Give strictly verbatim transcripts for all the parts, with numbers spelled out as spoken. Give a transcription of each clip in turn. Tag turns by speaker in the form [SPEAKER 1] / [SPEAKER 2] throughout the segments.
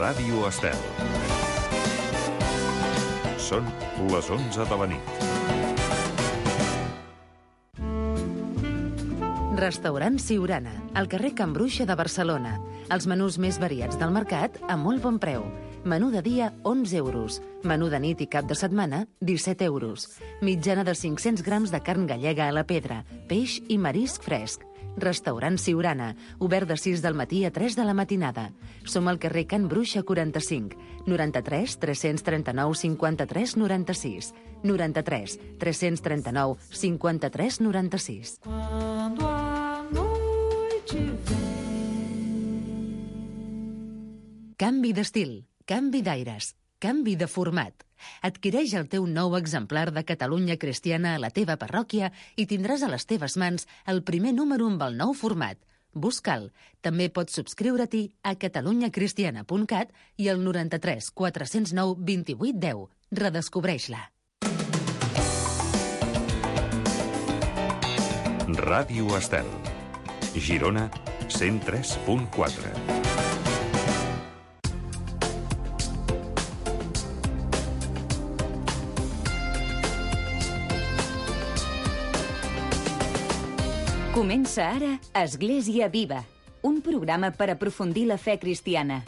[SPEAKER 1] Ràdio Estel. Són les onze de la nit.
[SPEAKER 2] Restaurant Siurana, al carrer Can Bruixa de Barcelona. Els menús més variats del mercat a molt bon preu. Menú de dia, onze euros. Menú de nit i cap de setmana, disset euros. Mitjana de cinc-cents grams de carn gallega a la pedra, peix i marisc fresc. Restaurant Siurana, obert de sis del matí a tres de la matinada. Som al carrer Can Bruixa quaranta-cinc, noranta-tres tres-cents trenta-nou cinquanta-tres noranta-sis, noranta-tres tres-cents trenta-nou cinquanta-tres noranta-sis.
[SPEAKER 3] Quando a noite vem.
[SPEAKER 2] Canvi d'estil, canvi d'aires, canvi de format. Adquireix el teu nou exemplar de Catalunya Cristiana a la teva parròquia i tindràs a les teves mans el primer número amb el nou format. Busca'l. També pots subscriure-t'hi a catalunya cristiana punt cat i al noranta-tres quatre-cents nou vint-i-vuit deu. Redescobreix-la.
[SPEAKER 1] Ràdio Estel. Girona, cent tres punt quatre.
[SPEAKER 4] Comença ara Església Viva, un programa per aprofundir la fe cristiana.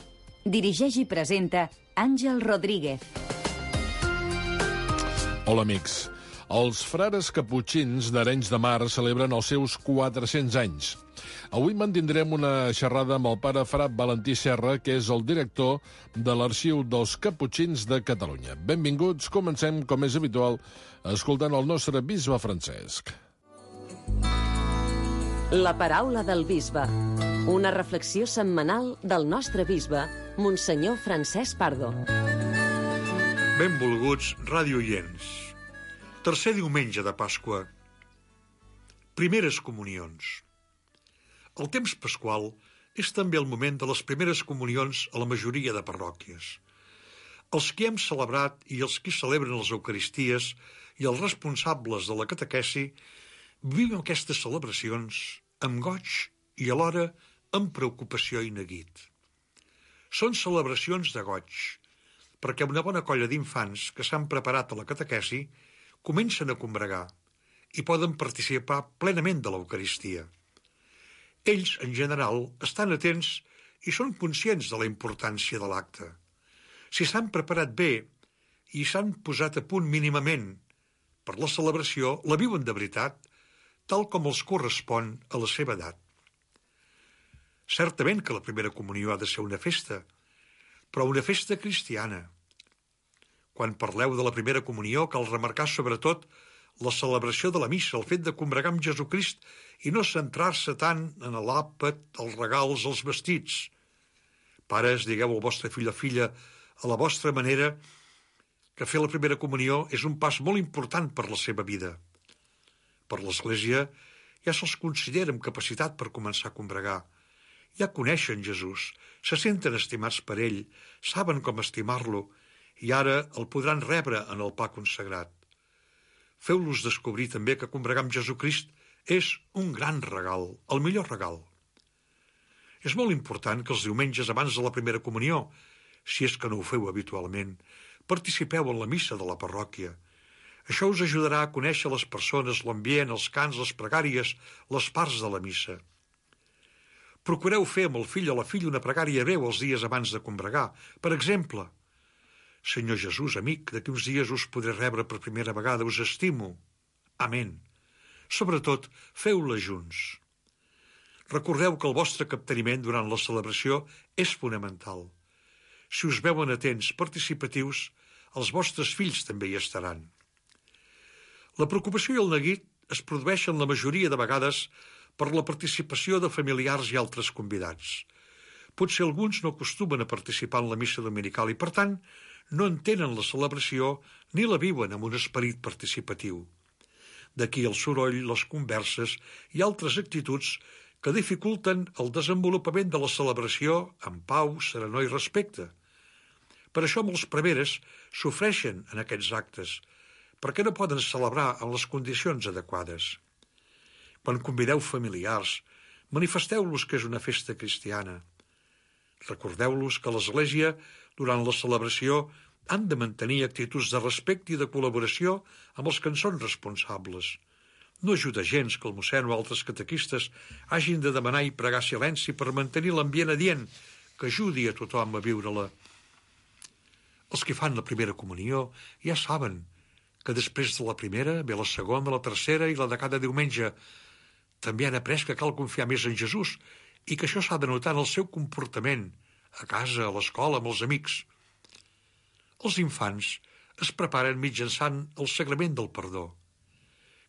[SPEAKER 4] Dirigeix i presenta Àngel Rodríguez.
[SPEAKER 5] Hola, amics. Els frares caputxins d'Arenys de Mar celebren els seus quatre-cents anys. Avui mantindrem una xerrada amb el pare Fra Valentí Serra, que és el director de l'Arxiu dels Caputxins de Catalunya. Benvinguts, comencem, com és habitual, escoltant el nostre bisbe Francesc.
[SPEAKER 6] La paraula del bisbe. Una reflexió setmanal del nostre bisbe, Monsenyor Francesc Pardo.
[SPEAKER 7] Benvolguts radiooients. Tercer diumenge de Pasqua. Primeres comunions. El temps pasqual és també el moment de les primeres comunions a la majoria de parròquies. Els que hem celebrat i els que celebren les Eucaristies i els responsables de la catequesi vivim aquestes celebracions amb goig i alhora amb preocupació i neguit. Són celebracions de goig, perquè una bona colla d'infants que s'han preparat a la catequesi comencen a combregar i poden participar plenament de l'Eucaristia. Ells, en general, estan atents i són conscients de la importància de l'acte. Si s'han preparat bé i s'han posat a punt mínimament per la celebració, la viuen de veritat, tal com els correspon a la seva edat. Certament que la primera comunió ha de ser una festa, però una festa cristiana. Quan parleu de la primera comunió, cal remarcar sobretot la celebració de la missa, el fet de combregar amb Jesucrist i no centrar-se tant en l'àpat, els regals, els vestits. Pares, digueu al vostre fill o filla a la vostra manera que fer la primera comunió és un pas molt important per la seva vida. Per l'Església ja se'ls considera amb capacitat per començar a combregar. Ja coneixen Jesús, se senten estimats per ell, saben com estimar-lo i ara el podran rebre en el pa consagrat. Feu-los descobrir també que combregar amb Jesucrist és un gran regal, el millor regal. És molt important que els diumenges abans de la primera comunió, si és que no ho feu habitualment, participeu en la missa de la parròquia. Això us ajudarà a conèixer les persones, l'ambient, els cants, les pregàries, les parts de la missa. Procureu fer amb el fill o la filla una pregària breu els dies abans de combregar. Per exemple, Senyor Jesús, amic, d'aquí uns dies us podré rebre per primera vegada, us estimo. Amén. Sobretot, feu-la junts. Recordeu que el vostre capteniment durant la celebració és fonamental. Si us veuen atents, participatius, els vostres fills també hi estaran. La preocupació i el neguit es produeixen la majoria de vegades per la participació de familiars i altres convidats. Potser alguns no acostumen a participar en la missa dominical i, per tant, no entenen la celebració ni la viuen amb un esperit participatiu. D'aquí el soroll, les converses i altres actituds que dificulten el desenvolupament de la celebració amb pau, serenor i respecte. Per això molts preveres sofreixen en aquests actes, perquè no poden celebrar en les condicions adequades. Quan convideu familiars, manifesteu-los que és una festa cristiana. Recordeu-los que l'Església, durant la celebració, han de mantenir actituds de respecte i de col·laboració amb els que en són responsables. No ajuda gens que el mossèn o altres catequistes hagin de demanar i pregar silenci per mantenir l'ambient adient que ajudi a tothom a viure-la. Els que fan la primera comunió ja saben que després de la primera ve la segona, la tercera i la de cada diumenge. També han après que cal confiar més en Jesús i que això s'ha de notar en el seu comportament, a casa, a l'escola, amb els amics. Els infants es preparen mitjançant el sagrament del perdó,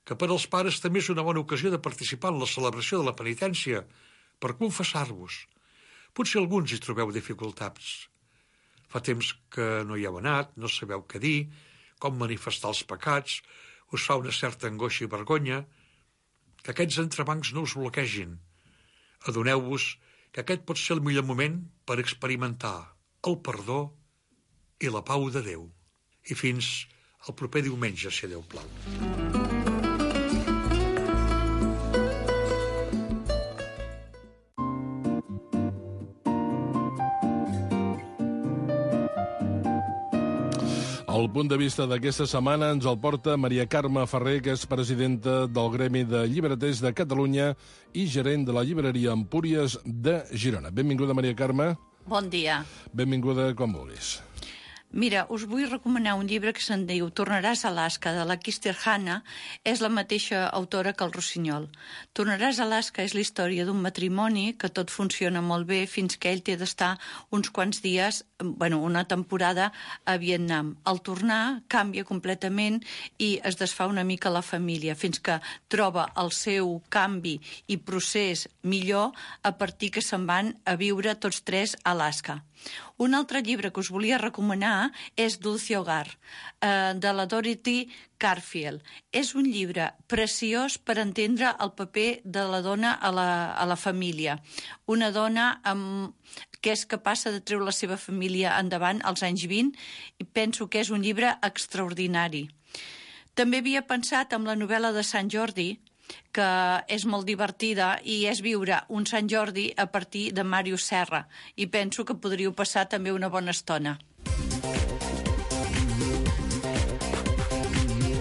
[SPEAKER 7] que per als pares també és una bona ocasió de participar en la celebració de la penitència per confessar-vos. Potser alguns hi trobeu dificultats. Fa temps que no hi heu anat, no sabeu què dir, com manifestar els pecats, us fa una certa angoixa i vergonya. Que aquests entrebancs no us bloquegin. Adoneu-vos que aquest pot ser el millor moment per experimentar el perdó i la pau de Déu. I fins el proper diumenge, si Déu plau.
[SPEAKER 5] El punt de vista d'aquesta setmana ens el porta Maria Carme Ferrer, que és presidenta del Gremi de Llibreters de Catalunya i gerent de la llibreria Empúries de Girona. Benvinguda, Maria Carme.
[SPEAKER 8] Bon dia.
[SPEAKER 5] Benvinguda, com vulguis.
[SPEAKER 8] Mira, us vull recomanar un llibre que se'n diu Tornaràs a Alaska, de la Kirsten Hanna. És la mateixa autora que el Rossinyol. Tornaràs a Alaska és la història d'un matrimoni que tot funciona molt bé fins que ell té d'estar uns quants dies, bueno, una temporada a Vietnam. Al tornar canvia completament i es desfà una mica la família, fins que troba el seu canvi i procés millor a partir que se'n van a viure tots tres a Alaska. Un altre llibre que us volia recomanar és Dulce Hogar, eh, de la Dorothy Carfield. És un llibre preciós per entendre el paper de la dona a la, a la família. Una dona amb, que és capaç de treure la seva família endavant als anys vint, i penso que és un llibre extraordinari. També havia pensat en la novel·la de Sant Jordi, que és molt divertida i és viure un Sant Jordi a partir de Màrius Serra, i penso que podríeu passar també una bona estona.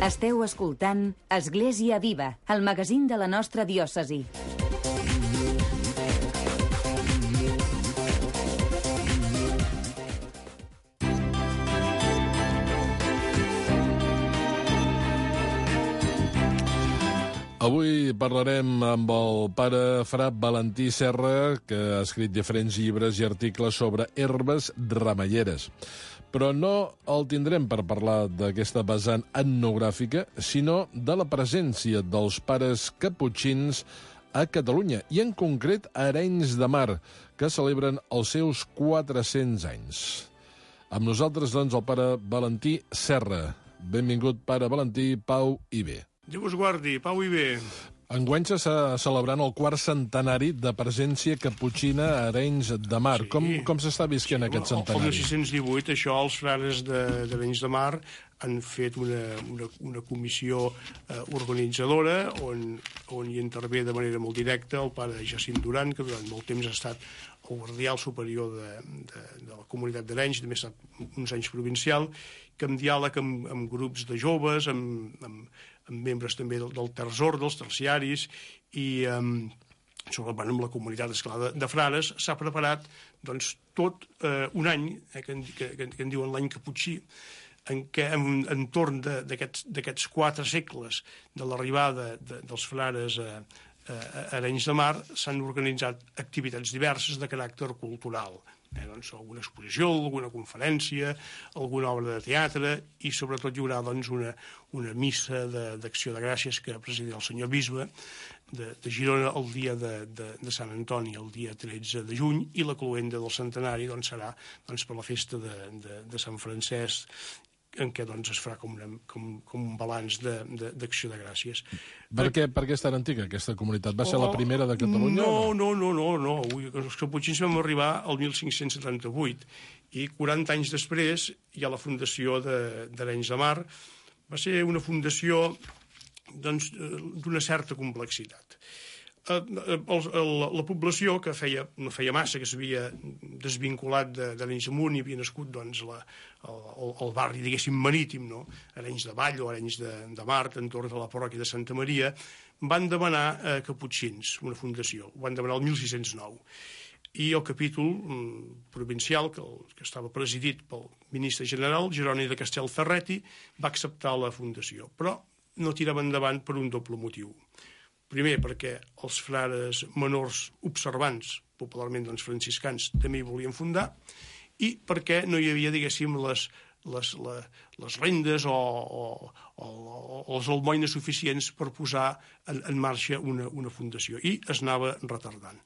[SPEAKER 4] Esteu escoltant Església Viva, el magazín de la nostra diòcesi.
[SPEAKER 5] Avui parlarem amb el pare Fra Valentí Serra, que ha escrit diferents llibres i articles sobre herbes remeieres. Però no el tindrem per parlar d'aquesta vessant etnogràfica, sinó de la presència dels pares caputxins a Catalunya, i en concret a Arenys de Mar, que celebren els seus quatre-cents anys. Amb nosaltres, doncs, el pare Valentí Serra. Benvingut, pare Valentí, pau i bé.
[SPEAKER 9] Déu us guardi, pau i bé.
[SPEAKER 5] Enguany s'està celebrant el quart centenari de presència caputxina a Arenys de Mar. Sí. Com, com s'està visquent sí, aquest centenari?
[SPEAKER 9] El mil sis-cents divuit, això, els frares d'Arenys de, de Mar han fet una, una, una comissió eh, organitzadora on, on hi intervé de manera molt directa el pare Jacint Duran, que durant molt temps ha estat el guardià superior de, de, de la comunitat d'Arenys, també ha estat uns anys provincial, que amb diàleg amb, amb grups de joves, amb, amb, amb membres també del, del terçor, dels terciaris, i um, sobretot amb la comunitat, esclar, de, de frares, s'ha preparat doncs, tot eh, un any, eh, que, que, que, que en diuen l'any caputxí, en què en, entorn d'aquests quatre segles de l'arribada de, dels frares a, a, a Arenys de Mar s'han organitzat activitats diverses de caràcter cultural. Eh, doncs, alguna exposició, alguna conferència, alguna obra de teatre, i sobretot hi haurà doncs, una, una missa d'acció de, de gràcies que presidirà el senyor bisbe de, de Girona el dia de, de, de Sant Antoni, el dia tretze de juny, i la cloenda del centenari doncs, serà doncs, per la festa de, de, de Sant Francesc, en què doncs, es farà com, una, com, com un balanç d'acció de, de, de gràcies.
[SPEAKER 5] Per què, per què és tan antiga aquesta comunitat? Va ser oh, la primera de Catalunya?
[SPEAKER 9] No, no, no, no, no. Els caputxins vam arribar al mil cinc-cents setanta-vuit i quaranta anys després hi ha la fundació d'Arenys de, de Mar. Va ser una fundació doncs, d'una certa complexitat. eh, el, el, la població, que feia, no feia massa, que s'havia desvinculat de, d'Arenys de Munt i havia nascut doncs, la, el, el barri, diguéssim, marítim, no? Arenys de Vall o Arenys de, de Mar, entorn de la parròquia de Santa Maria, van demanar eh, caputxins, una fundació. Ho van demanar el mil sis-cents nou. I el capítol mm, provincial, que, el, que estava presidit pel ministre general, Jeroni de Castelferreti, va acceptar la fundació. Però no tirava endavant per un doble motiu. Primer, perquè els frares menors observants, popularment doncs, franciscans, també hi volien fundar, i perquè no hi havia, diguéssim, les, les, les, les rendes o, o, o, o els almoines suficients per posar en, en marxa una, una fundació. I es anava retardant.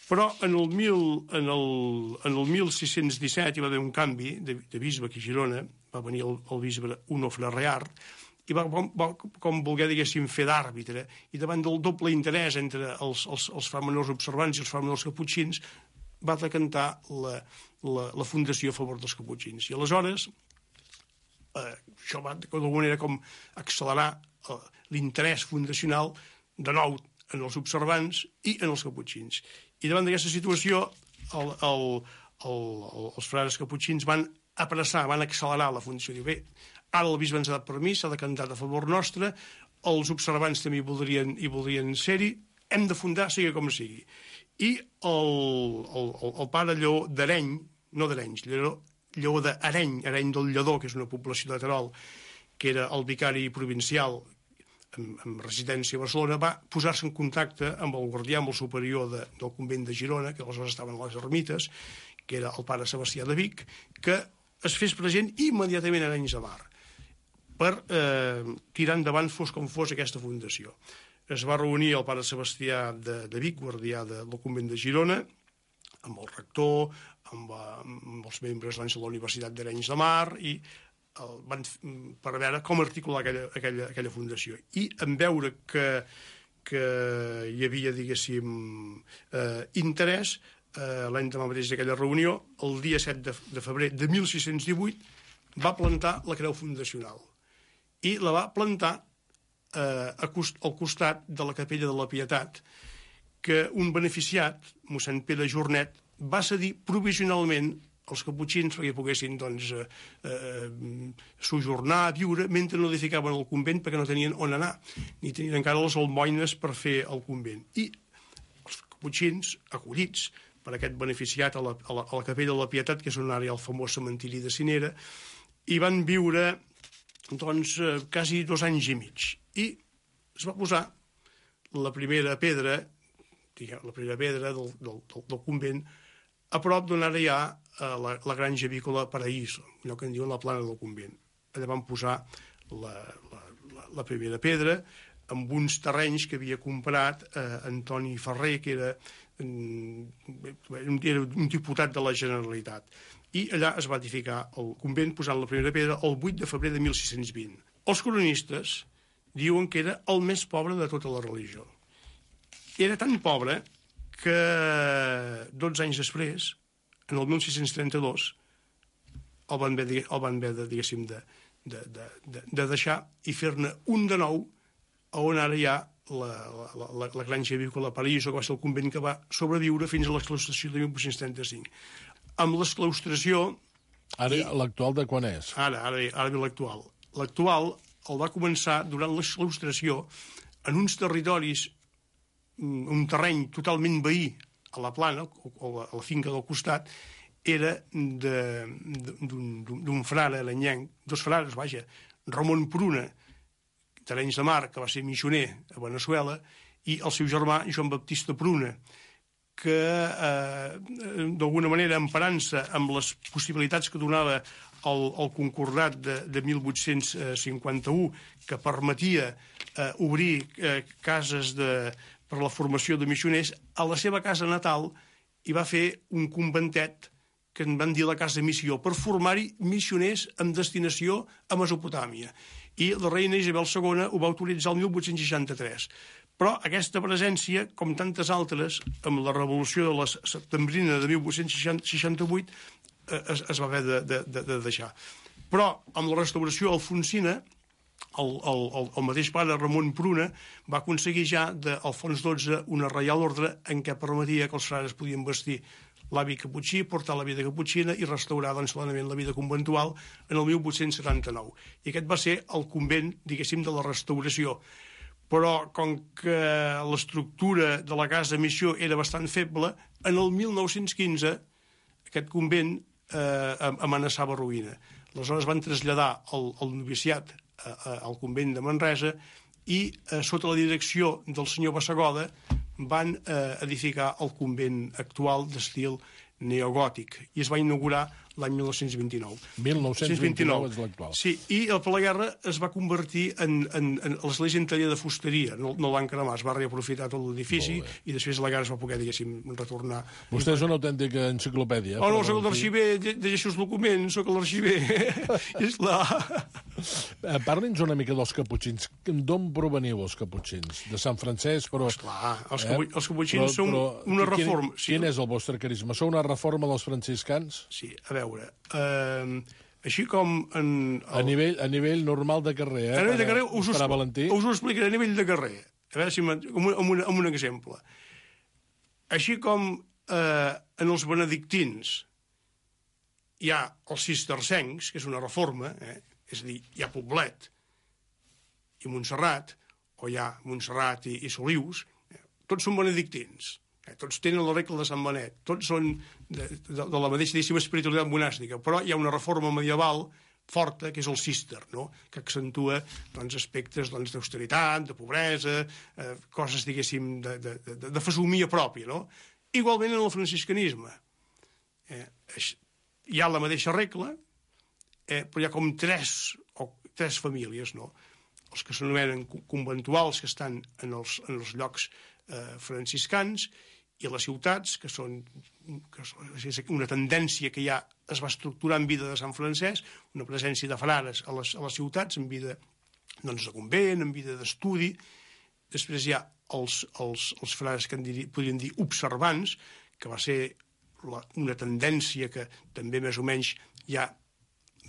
[SPEAKER 9] Però en el, mil, en el, en el mil sis-cents disset hi va haver un canvi de, de bisbe aquí a Girona, va venir el, el bisbe Onofre Reart, i va, va com voler, diguéssim, fer d'àrbitre, i davant del doble interès entre els, els, els framenors observants i els framenors caputxins, va decantar la, la, la fundació a favor dels caputxins. I aleshores, eh, això va d'alguna manera com accelerar eh, l'interès fundacional de nou en els observants i en els caputxins. I davant d'aquesta situació, el, el, el, el, els frares caputxins van apressar, van accelerar la fundació. Diu, bé, ara el bisbe ens ha dat permís, s'ha decantat a favor nostre, els observants també hi voldrien, hi voldrien ser-hi, hem de fundar, sigui com sigui. I el, el, el pare Lleó d'Areny, no d'Arenys, Lleó, Lleó d'Areny, Areny del Lledó, que és una població de Terol, que era el vicari provincial amb, amb residència a Barcelona, va posar-se en contacte amb el guardià, amb el superior de, del convent de Girona, que aleshores estaven a les ermites, que era el pare Sebastià de Vic, que es fes present immediatament a Arenys de Mar per eh, tirar endavant, fos com fos, aquesta fundació. Es va reunir el pare Sebastià de, de Vic, guardià de, del convent de Girona, amb el rector, amb, amb els membres doncs, de la Universitat d'Arenys de Mar, i el, van, per veure com articular aquella, aquella, aquella fundació. I en veure que, que hi havia, diguéssim, eh, interès, eh, l'endemà mateix d'aquella reunió, el dia set de, de febrer de mil sis-cents divuit, va plantar la creu fundacional. I la va plantar eh, cost, al costat de la capella de la Pietat, que un beneficiat, mossèn Pere Jornet, va cedir provisionalment els caputxins perquè poguessin doncs, eh, eh, sojornar, viure, mentre no edificaven el convent perquè no tenien on anar, ni tenien encara les almoines per fer el convent. I els caputxins, acollits per aquest beneficiat a la, a la, a la capella de la Pietat, que és on ara hi ha el famós cementiri de Cinera, hi van viure doncs, eh, quasi dos anys i mig. I es va posar la primera pedra, diguem, la primera pedra del, del, del, del convent, a prop d'on ara hi ha eh, la, la granja avícola Paraíso, allò que en diuen la plana del convent. Allà van posar la, la, la, la primera pedra amb uns terrenys que havia comprat eh, Antoni Ferrer, que era, eh, era un diputat de la Generalitat. I allà es va edificar el convent posant la primera pedra el vuit de febrer de mil sis-cents vint. Els cronistes diuen que era el més pobre de tota la religió. Era tan pobre que dotze anys després, en el mil sis-cents trenta-dos, el van haver, el van haver de, diguéssim, de, de, de, de deixar i fer-ne un de nou on ara hi ha la, la, la, la granja avícola Paraíso, que va ser el convent que va sobreviure fins a l'exclaustració de mil vuit-cents trenta-cinc. Amb l'exclaustració...
[SPEAKER 5] Ara, l'actual de quan és?
[SPEAKER 9] Ara, ara, ara ve l'actual. L'actual el va començar durant l'exclaustració en uns territoris, un terreny totalment veí a la plana, o a la finca del costat, era d'un frare alenyenc, dos frares, vaja, Ramon Pruna, d'Arenys de Mar, que va ser missioner a Veneçuela, i el seu germà, Joan Baptista Pruna, que eh, d'alguna manera, emparant-se amb les possibilitats que donava el, el concordat de, de mil vuit-cents cinquanta-u, que permetia eh, obrir eh, cases de, per la formació de missioners, a la seva casa natal hi va fer un conventet que en van dir la Casa Missió, per formar-hi missioners amb destinació a Mesopotàmia. I la reina Isabel segona ho va autoritzar el mil vuit-cents seixanta-tres. Però aquesta presència, com tantes altres, amb la revolució de la setembrina de mil vuit-cents seixanta-vuit, es, es va haver de, de, de deixar. Però amb la restauració alfonsina, el, el, el, el mateix pare Ramon Pruna va aconseguir ja de Alfons dotze una reial ordre en què permetia que els frares podien vestir l'hàbit caputxí, portar la vida caputxina i restaurar doncs, plenament la vida conventual en el mil vuit-cents setanta-nou. I aquest va ser el convent, diguéssim, de la restauració. Però, com que l'estructura de la casa missió era bastant feble, en el mil nou-cents quinze aquest convent eh, amenaçava ruïna. Aleshores van traslladar el, el noviciat a, a, al convent de Manresa i, eh, sota la direcció del senyor Bassegoda, van eh, edificar el convent actual d'estil neogòtic i es va inaugurar l'any mil nou-cents vint-i-nou.
[SPEAKER 5] mil nou-cents vint-i-nou és l'actual.
[SPEAKER 9] Sí, i per la guerra es va convertir en, en, en l'església en taller de fusteria, no, no el van cremar, es va reaprofitar tot l'edifici i després la guerra es va poder, diguéssim, retornar.
[SPEAKER 5] Vostè és una autèntica enciclopèdia.
[SPEAKER 9] Oh, no, soc l'arxiver, llegeixo els documents, soc l'arxiver. És la...
[SPEAKER 5] Parli'ns una mica dels caputxins. D'on proveniu els caputxins? De Sant Francesc, però...
[SPEAKER 9] Esclar, els, capu eh? els caputxins però, són però, una reforma.
[SPEAKER 5] Quin, quin és el vostre carisma? Sou una reforma dels franciscans?
[SPEAKER 9] Sí, a veure... Uh, així com en el...
[SPEAKER 5] a, nivell, a nivell normal de carrer, eh?
[SPEAKER 9] A nivell de carrer us,
[SPEAKER 5] us,
[SPEAKER 9] us ho explicaré a nivell de carrer. A veure si amb, un, amb, un, amb un exemple. Així com eh, en els benedictins hi ha els cistercencs, que és una reforma, eh? És a dir, hi ha Poblet i Montserrat, o hi ha Montserrat i, i Solius, eh? Tots són benedictins. Tots tenen la regla de Sant Benet, tots són de, de, de la mateixa espiritualitat monàstica, però hi ha una reforma medieval forta, que és el cister, no? Que accentua doncs, aspectes doncs, d'austeritat, de pobresa, eh, coses, diguéssim, de, de, de, de fesomia pròpia, no? Igualment en el franciscanisme. Eh, hi ha la mateixa regla, eh, però hi ha com tres, o, tres famílies, no? Els que s'anomenen conventuals, que estan en els, en els llocs eh, franciscans, i les ciutats, que són que és una tendència que ja es va estructurar en vida de Sant Francesc, una presència de frares a les, a les ciutats, en vida doncs, de convent, en vida d'estudi. Després hi ha els, els, els frares que en diri, podríem dir observants, que va ser la, una tendència que també més o menys ja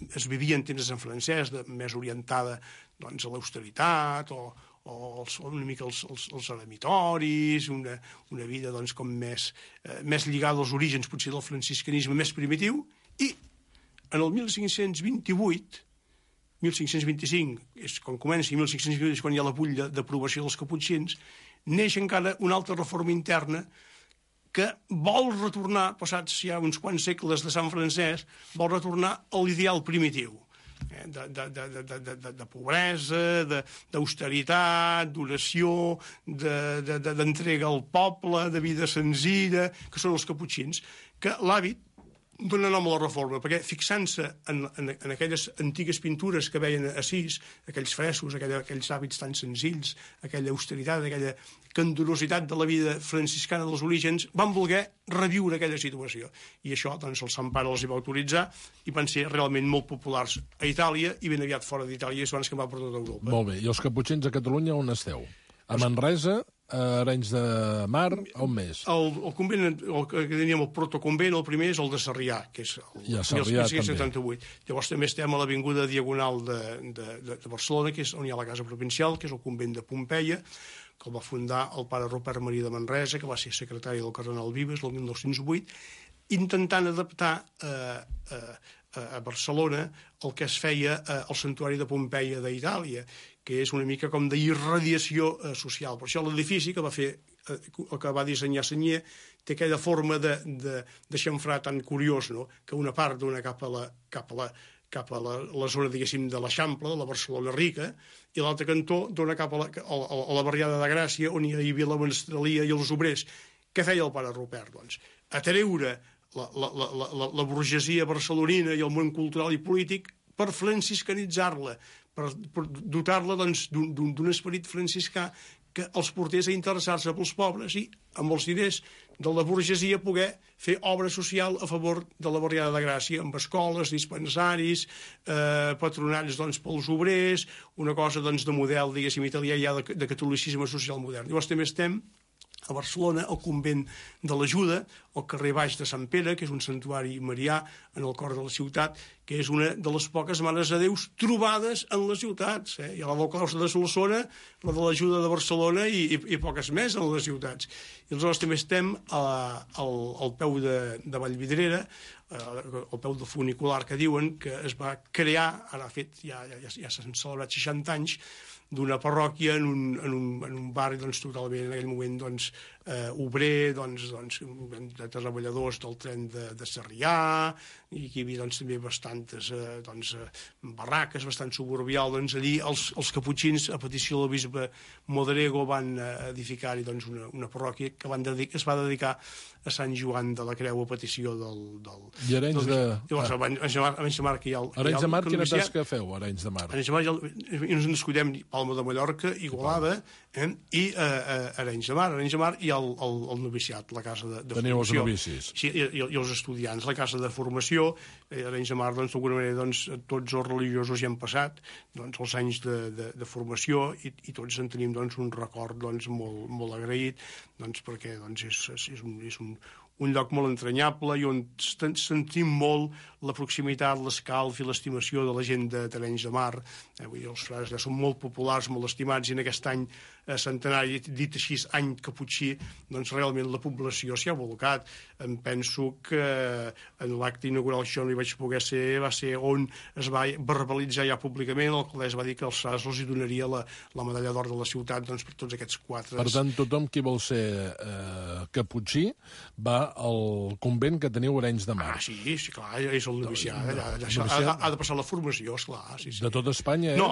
[SPEAKER 9] es vivia en temps de Sant Francesc, de, més orientada doncs, a l'austeritat o o els, una mica els, els, els eremitoris, una, una vida doncs, com més, eh, més lligada als orígens potser del franciscanisme més primitiu, i en el mil cinc-cents vint-i-vuit, mil cinc-cents vint-i-cinc, és quan comença, i mil cinc-cents vint-i-vuit és quan hi ha la butlla d'aprovació dels caputxins, neix encara una altra reforma interna que vol retornar, passats ja uns quants segles de Sant Francesc, vol retornar a l'ideal primitiu. De, de, de, de, de, de pobresa, d'austeritat, d'oració, d'entrega al poble, de vida senzilla, que són els caputxins, que l'hàbit dona nom a la reforma, perquè fixant-se en, en, en aquelles antigues pintures que veien a Assís, aquells frescos, aquella, aquells hàbits tan senzills, aquella austeritat, aquella candorositat de la vida franciscana dels orígens, van voler reviure aquella situació. I això, doncs, el Sant Pare els hi va autoritzar i van ser realment molt populars a Itàlia i ben aviat fora d'Itàlia, i abans que va per tota Europa.
[SPEAKER 5] Molt bé. I els caputxins a Catalunya on esteu? A Manresa, a Arenys de Mar, on més?
[SPEAKER 9] El, el convent, el que teníem el protoconvent, el primer és el de Sarrià, que és el
[SPEAKER 5] I a Sarrià,
[SPEAKER 9] mil cinc-cents setanta-vuit. Llavors també estem a l'avinguda Diagonal de, de, de, de Barcelona, que és on hi ha la casa provincial, que és el convent de Pompeia, que el va fundar el pare Rupert Maria de Manresa, que va ser secretari del cardenal Vives el mil nou-cents vuit, intentant adaptar eh, eh, a Barcelona el que es feia al santuari de Pompeia d'Itàlia, que és una mica com d'irradiació eh, social. Per això l'edifici que va fer, eh, que va dissenyar Senyer, té aquella forma de, de, de xamfrà tan curiós, no? Que una part dona cap a la, cap a la, cap a la, la zona, diguéssim, de l'Eixample, de la Barcelona rica, i l'altre cantó dona cap a la, a, a la barriada de Gràcia, on hi havia la menestralia i els obrers. Què feia el pare Rupert, doncs? Atreure la, la, la, la, la burgesia barcelonina i el món cultural i polític per franciscanitzar-la, per, per dotar-la doncs, d'un esperit franciscà que els portés a interessar-se pels pobres i, amb els diners de la burgesia, poder fer obra social a favor de la barriada de Gràcia, amb escoles, dispensaris, eh, patronats doncs, pels obrers, una cosa doncs, de model, diguéssim, italià ja de, de catolicisme social modern. Llavors també estem a Barcelona, el convent de l'Ajuda, el carrer Baix de Sant Pere, que és un santuari marià en el cor de la ciutat, que és una de les poques mares de Déus trobades en les ciutats. Eh? Hi ha la del Claustre de Solsona, la de l'Ajuda de Barcelona i, i, i poques més en les ciutats. I aleshores també estem a, al, al peu de, de Vallvidrera, eh, al peu del funicular que diuen que es va crear, ara ha fet, ja, ja, ja s'han celebrat seixanta anys, d'una parròquia en un, en un, en un barri doncs, totalment en aquell moment doncs, eh, obrer, doncs, doncs, de treballadors del tren de, de Sarrià, i aquí hi havia doncs, també bastantes eh, doncs, barraques, bastant suburbial. Doncs, allí els, els caputxins, a petició del bisbe Modrego, van edificar-hi doncs, una, una parròquia que van dedicar, es va dedicar a Sant Joan de la Creu a petició del... del
[SPEAKER 5] I Arenys de...
[SPEAKER 9] Llavors, a Arenys de Mar, Arenys de Mar, que hi ha...
[SPEAKER 5] Arenys de Mar, quina tasca feu, Arenys de Mar?
[SPEAKER 9] Arenys de Mar, ja, i ens en descuidem Palma de Mallorca, Igualada, eh, i eh, eh, Arenys de Mar. Arenys de Mar i el, el, el noviciat, la casa de, de
[SPEAKER 5] Teniu
[SPEAKER 9] formació.
[SPEAKER 5] els novicis.
[SPEAKER 9] Sí, i, i, i els estudiants, la casa de formació. Eh, Arenys de Mar, doncs, d'alguna manera, doncs, tots els religiosos hi han passat doncs, els anys de, de, de formació i, i tots en tenim doncs, un record doncs, molt, molt agraït, doncs, perquè doncs, és, és, és un... És un un lloc molt entranyable i on sentim molt la proximitat, l'escalf i l'estimació de la gent de Arenys de Mar. Eh, vull dir, els frares ja són molt populars, molt estimats, i en aquest any eh, centenari, dit així, any caputxí, doncs realment la població s'hi ha volcat. Em penso que en l'acte inaugural, això no hi vaig poder ser, va ser on es va verbalitzar ja públicament, l'alcaldessa va dir que als frares els hi donaria la, la medalla d'or de la ciutat doncs, per tots aquests quatre...
[SPEAKER 5] Per tant, tothom qui vol ser eh, caputxí va al convent que teniu a Arenys de Mar.
[SPEAKER 9] Ah, sí, sí, clar, és el noviciat. Allà, allà, ha, ha de passar la formació, esclar. Sí, sí.
[SPEAKER 5] De tot Espanya és?
[SPEAKER 9] No.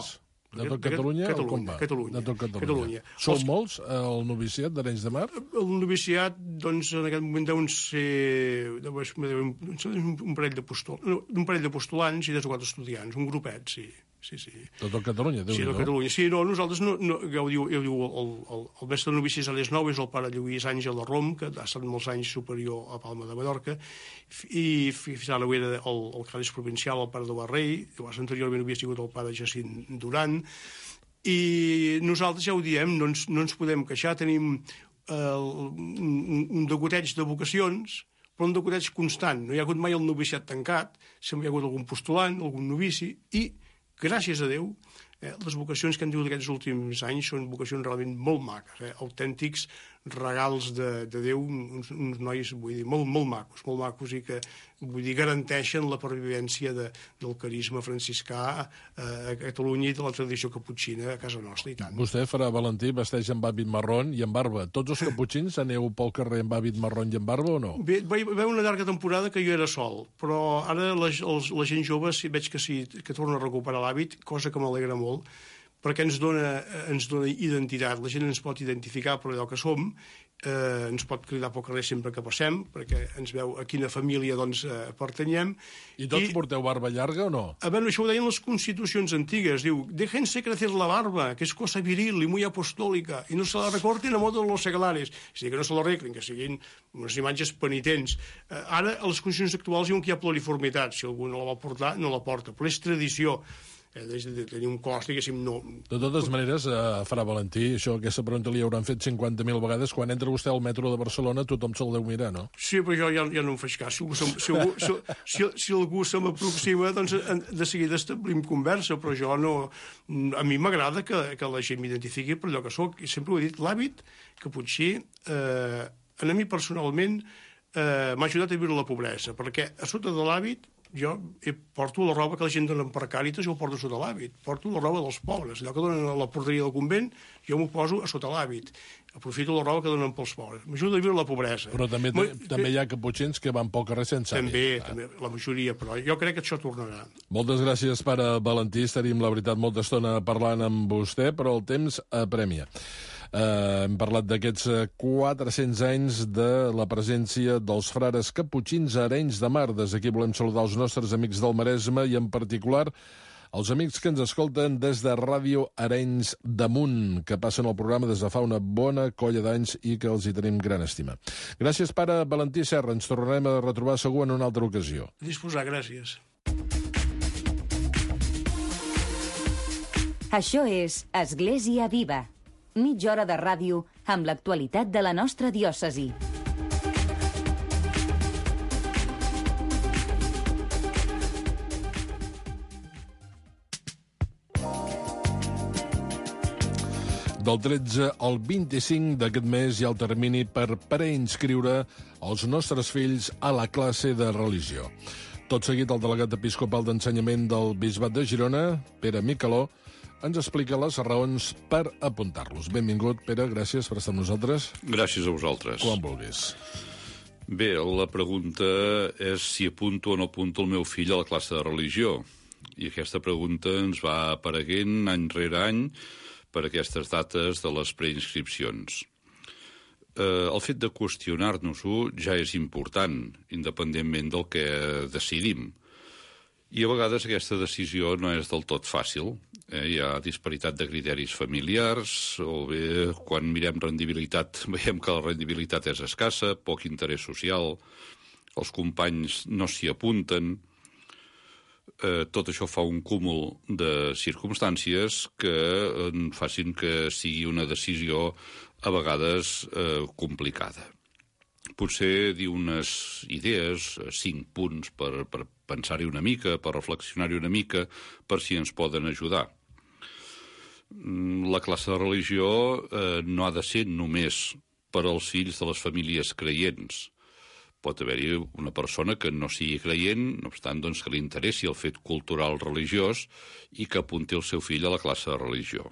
[SPEAKER 5] De tot Catalunya?
[SPEAKER 9] Catalunya, Catalunya.
[SPEAKER 5] De tot Catalunya.
[SPEAKER 9] Catalunya.
[SPEAKER 5] Són
[SPEAKER 9] Els...
[SPEAKER 5] molts, el noviciat d'Arenys de Mar?
[SPEAKER 9] El noviciat, doncs, en aquest moment deuen ser un parell de postol... un parell de postulants i tres o quatre estudiants, un grupet, sí. Sí, sí.
[SPEAKER 5] Tot el Catalunya,
[SPEAKER 9] sí,
[SPEAKER 5] Déu-n'hi-do.
[SPEAKER 9] Catalunya. Sí, no, nosaltres, no, no, ja ho diu, ja ho diu el, el, el mestre de novicis a les nou és el pare Lluís Àngel de Rom, que ha estat molts anys superior a Palma de Mallorca, i fins ara ho era el, el càlice provincial, el pare de Barrell, llavors anteriorment havia sigut el pare Jacint Duran, i nosaltres ja ho diem, no ens, no ens podem queixar, tenim eh, un, un degoteig de vocacions, però un degoteig constant. No hi ha hagut mai el noviciat tancat, sempre hi ha hagut algun postulant, algun novici, i gràcies a Déu, eh, les vocacions que han tingut aquests últims anys són vocacions realment molt maques, eh, autèntics regals de, de Déu, uns, uns nois, vull dir, molt, molt macos, molt macos i que, vull dir, garanteixen la pervivència de, del carisma franciscà eh, a Catalunya i de la tradició caputxina a casa nostra, i tant.
[SPEAKER 5] Vostè, farà Valentí, vesteix amb hàbit marron i amb barba. Tots els caputxins aneu pel carrer amb hàbit marron i amb barba o no?
[SPEAKER 9] Bé, va haver una llarga temporada que jo era sol, però ara la, els, la gent jove sí, veig que sí, que torna a recuperar l'hàbit, cosa que m'alegra molt, perquè ens dona, ens dona identitat, la gent ens pot identificar per allò que som, eh, ens pot cridar pel carrer sempre que passem, perquè ens veu a quina família doncs, eh, pertanyem.
[SPEAKER 5] I tots I, porteu barba llarga o no?
[SPEAKER 9] A veure, això ho deien les constitucions antigues, diu, déjense crecer la barba, que és cosa viril i muy apostòlica, i no se la recorten a modo de los seglares, és a dir, que no se la arreglin, que siguin unes imatges penitents. Eh, ara, a les constitucions actuals diuen que hi ha pluriformitat, si algú no la vol portar, no la porta, però és tradició. Eh, de tenir un cos, diguéssim, no...
[SPEAKER 5] De totes maneres, eh, farà Valentí, això, aquesta pregunta li hauran fet cinquanta mil vegades. Quan entra vostè al metro de Barcelona, tothom se'l deu mirar, no?
[SPEAKER 9] Sí, però jo ja, ja no em faig cas. Si, si, si, algú, si, si, si algú se m'aproxima, doncs de seguida establim conversa, però jo no... A mi m'agrada que, que la gent m'identifiqui per allò que sóc. I sempre ho he dit, l'hàbit caputxí, eh, a mi personalment, eh, m'ha ajudat a viure la pobresa, perquè a sota de l'hàbit jo porto la roba que la gent dona per Càritas, jo ho porto sota l'hàbit. Porto la roba dels pobres. Allò que donen a la porteria del convent, jo m'ho poso a sota l'hàbit. Aprofito la roba que donen pels pobres. M'ajuda a viure la pobresa.
[SPEAKER 5] Però també, Ma, també hi ha caputxins que van pel carrer sense hàbit.
[SPEAKER 9] També, ah. també, la majoria, però jo crec que això tornarà.
[SPEAKER 5] Moltes gràcies, pare Valentí. Estaríem, la veritat, molta estona parlant amb vostè, però el temps apremia. Uh, hem parlat d'aquests quatre-cents anys de la presència dels frares caputxins a Arenys de Mar. Des d'aquí volem saludar els nostres amics del Maresme i en particular els amics que ens escolten des de Ràdio Arenys de Munt, que passen el programa des de fa una bona colla d'anys i que els hi tenim gran estima. Gràcies, pare Valentí Serra. Ens tornarem a retrobar segur en una altra ocasió.
[SPEAKER 9] Disposar, gràcies.
[SPEAKER 4] Això és Església Viva, Mitja hora de ràdio amb l'actualitat de la nostra diòcesi.
[SPEAKER 5] Del tretze al vint-i-cinc d'aquest mes hi ha el termini per preinscriure els nostres fills a la classe de religió. Tot seguit, el delegat episcopal d'ensenyament del Bisbat de Girona, Pere Micaló, ens explica les raons per apuntar-los. Benvingut, Pere, gràcies per estar amb nosaltres.
[SPEAKER 10] Gràcies a vosaltres.
[SPEAKER 5] Quan vulguis.
[SPEAKER 10] Bé, la pregunta és si apunto o no apunto el meu fill a la classe de religió. I aquesta pregunta ens va apareguent any rere any per aquestes dates de les preinscripcions. Eh, el fet de qüestionar-nos-ho ja és important, independentment del que decidim. I a vegades aquesta decisió no és del tot fàcil. Eh, hi ha disparitat de criteris familiars, o bé quan mirem rendibilitat veiem que la rendibilitat és escassa, poc interès social, els companys no s'hi apunten. Eh, tot això fa un cúmul de circumstàncies que eh, facin que sigui una decisió a vegades eh, complicada. Potser dir unes idees, cinc punts per, per pensar-hi una mica, per reflexionar-hi una mica, per si ens poden ajudar. La classe de religió eh, no ha de ser només per als fills de les famílies creients. Pot haver-hi una persona que no sigui creient, no obstant doncs, que li interessi el fet cultural religiós i que apunti el seu fill a la classe de religió.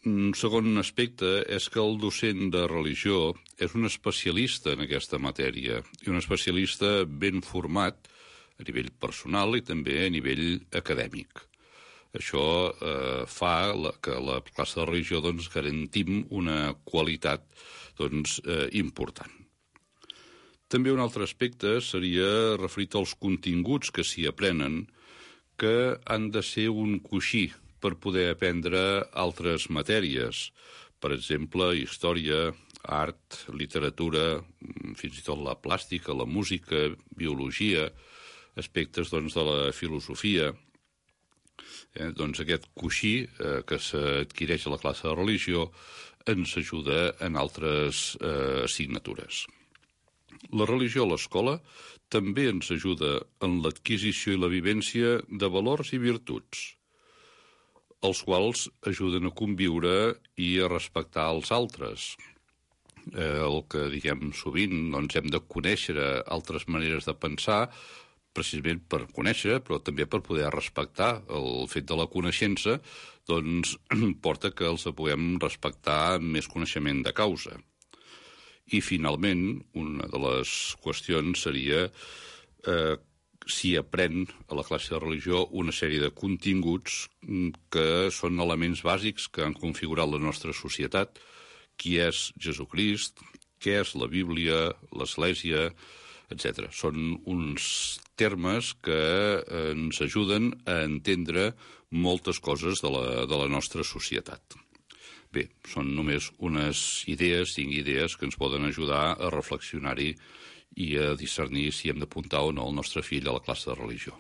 [SPEAKER 10] Un segon aspecte és que el docent de religió és un especialista en aquesta matèria i un especialista ben format a nivell personal i també a nivell acadèmic. Això eh, fa la, que a la classe de religió doncs, garantim una qualitat doncs, eh, important. També un altre aspecte seria referit als continguts que s'hi aprenen, que han de ser un coixí per poder aprendre altres matèries. Per exemple, història, art, literatura, fins i tot la plàstica, la música, biologia, aspectes doncs, de la filosofia. Eh, doncs aquest coixí eh, que s'adquireix a la classe de religió ens ajuda en altres eh, assignatures. La religió a l'escola també ens ajuda en l'adquisició i la vivència de valors i virtuts, els quals ajuden a conviure i a respectar els altres. Eh, el que diguem sovint, doncs hem de conèixer altres maneres de pensar, precisament per conèixer, però també per poder respectar. El fet de la coneixença doncs, porta que els puguem respectar amb més coneixement de causa. I, finalment, una de les qüestions seria eh, si aprèn a la classe de religió una sèrie de continguts que són elements bàsics que han configurat la nostra societat, qui és Jesucrist, què és la Bíblia, l'Església, etcètera. Són uns termes que ens ajuden a entendre moltes coses de la, de la nostra societat. Bé, són només unes idees, cinc idees, que ens poden ajudar a reflexionar-hi i a discernir si hem d'apuntar o no el nostre fill a la classe de religió.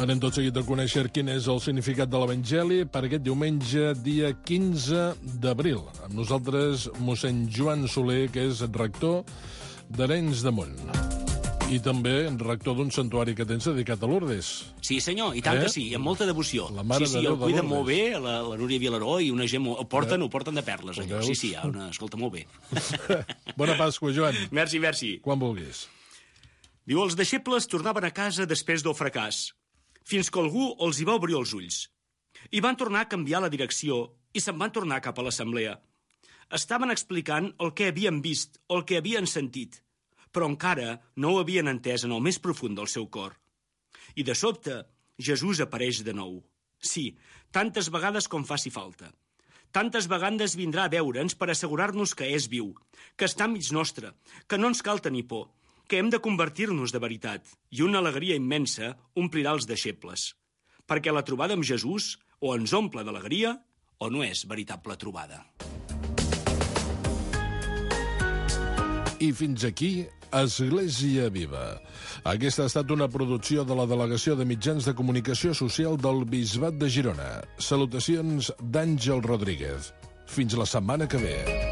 [SPEAKER 5] Anem tot seguit a conèixer quin és el significat de l'Evangeli per aquest diumenge, dia quinze d'abril. Amb nosaltres, mossèn Joan Soler, que és rector d'Arenys de Munt. I també rector d'un santuari que tens dedicat a Lourdes.
[SPEAKER 11] Sí, senyor, i tant eh? que sí, amb molta devoció.
[SPEAKER 5] La Mare
[SPEAKER 11] sí, sí,
[SPEAKER 5] de Déu
[SPEAKER 11] el
[SPEAKER 5] de
[SPEAKER 11] cuida
[SPEAKER 5] Lourdes.
[SPEAKER 11] molt bé, la, la Núria Vilaró i una gent... Molt... Ho porten, eh? ho porten de perles, allò. Sí, sí, hi ha una... escolta, molt bé.
[SPEAKER 5] Bona Pasqua, Joan.
[SPEAKER 11] Merci, merci.
[SPEAKER 5] Quan vulguis.
[SPEAKER 11] Diu, els deixebles tornaven a casa després del fracàs, fins que algú els hi va obrir els ulls. I van tornar a canviar la direcció i se'n van tornar cap a l'assemblea. Estaven explicant el que havien vist, el que havien sentit, però encara no ho havien entès en el més profund del seu cor. I de sobte, Jesús apareix de nou. Sí, tantes vegades com faci falta. Tantes vegades vindrà a veure'ns per assegurar-nos que és viu, que està enmig nostre, que no ens cal tenir por, que hem de convertir-nos de veritat, i una alegria immensa omplirà els deixebles. Perquè la trobada amb Jesús o ens omple d'alegria o no és veritable trobada.
[SPEAKER 5] I fins aquí, Església Viva. Aquesta ha estat una producció de la Delegació de Mitjans de Comunicació Social del Bisbat de Girona. Salutacions d'Àngel Rodríguez. Fins la setmana que ve.